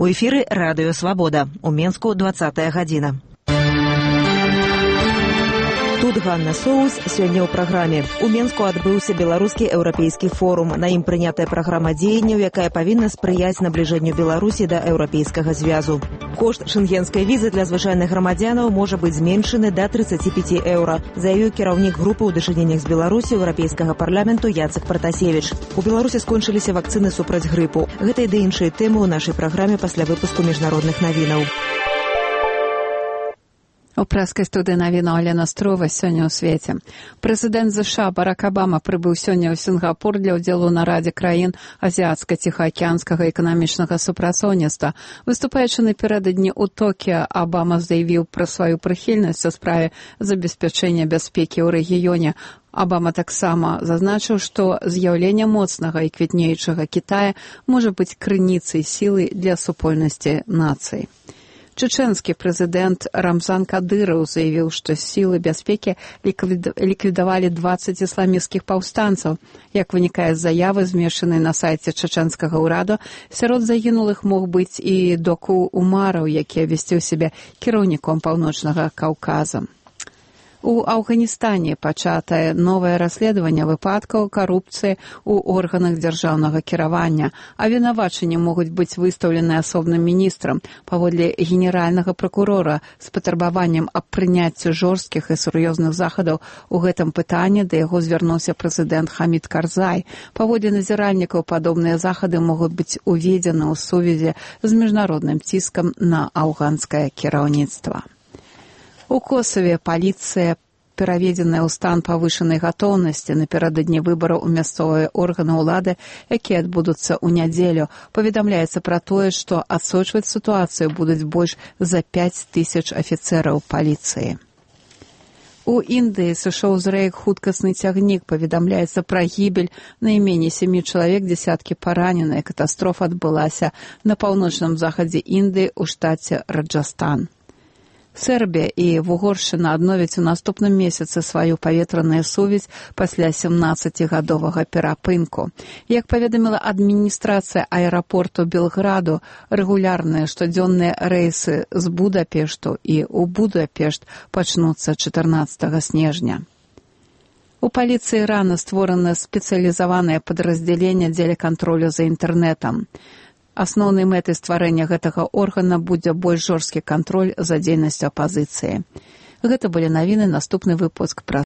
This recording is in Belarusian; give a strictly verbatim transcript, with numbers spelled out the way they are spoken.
У эфіры радыё «Свабода». У Менску двадцатая гадзіна. Тут Ганна Соус. Сёння ў праграме. У Менску адбыўся беларускі еўрапейскі форум. На ім прынятая праграма дзеянняў, якая павінна спрыяць набліжэнню Беларусі да еўрапейскага звязу. Кошт шэнгенскай візы для звычайных грамадзянаў можа быць зменшаны да трыццаці пяці еўра, заявіў кіраўнік групы ў дачыненнях з Беларусі еўрапейскага парламенту Яцек Пратасевіч. У Беларусі скончыліся вакцыны супраць грыпу. Гэта і да іншыя тэмы ў нашай праграме пасля выпуску міжнародных навінаў. У прэскай студыі навінаў Алена Строва сёння ў свеце. Прэзідэнт ЗША Барак Абама прыбыў сёння ў Сінгапур для ўдзелу ў нарадзе краін азіацка-ціхаакіянскага эканамічнага супрацоўніцтва. Выступаючы напярэдадні ў Токіа, Абама заявіў пра сваю прыхільнасць у справе забеспячэння бяспекі ў рэгіёне. Абама таксама зазначыў, што з'яўленне моцнага і квітнеючага Кітая можа быць крыніцай сілы для супольнасці нацый. Чечэнскі прэзідэнт Рамзан Кадыраў заявіў, што сілы бяспекі ліквідавалі дваццаць ісламісцкіх паўстанцаў. Як вынікае з заявы, змешчанай на сайце чечэнскага ўраду, сярод загінулых мог быць і Доку Умараў, які абвясціў сябе кіраўніком Паўночнага Каўказа. У Афганістане пачатае новае расследаванне выпадкаў карупцыі ў органах дзяржаўнага кіравання, а вінавачанні могуць быць выстаўлены асобным міністрам, паводле генеральнага пракурора, з патрабаваннем аб прыняцці жорсткіх і сур'ёзных захадаў у гэтым пытанні да яго звярнуўся прэзідэнт Хамід Карзай. Паводле назіральнікаў, падобныя захады могуць быць уведзены ў сувязі з міжнародным ціскам на афганскае кіраўніцтва. У Косаве паліцыя, пераведзеная ў стан павышанай гатоўнасці напярэдадні выбараў у мясцовыя органы ўлады, якія адбудуцца ў нядзелю, паведамляецца пра тое, што адсочваць сітуацыю будуць больш за пяць тысяч афіцэраў паліцыі. У Індыі сышоў з рэек хуткасны цягнік, паведамляецца пра гібель найменей сямі чалавек, дзесяткі параненыя. Катастрофа адбылася на паўночным захадзе Індыі ў штаце Раджастан. Сербія і Вугоршчына адновяць у наступным месяцы сваю паветраную сувязь пасля сямнаццацігадовага перапынку. Як паведаміла адміністрацыя аэрапорту Белграду, рэгулярныя штодзённыя рэйсы з Будапешту і ў Будапешт пачнуцца чатырнаццатага снежня. У паліцыі Ірана створана спецыялізаванае падраздзяленне дзеля кантролю за інтэрнэтам. Асноўнай мэтай стварэння гэтага органа будзе больш жорсткі кантроль за дзейнасцю апазіцыі. Гэта былі навіны, наступны выпуск пра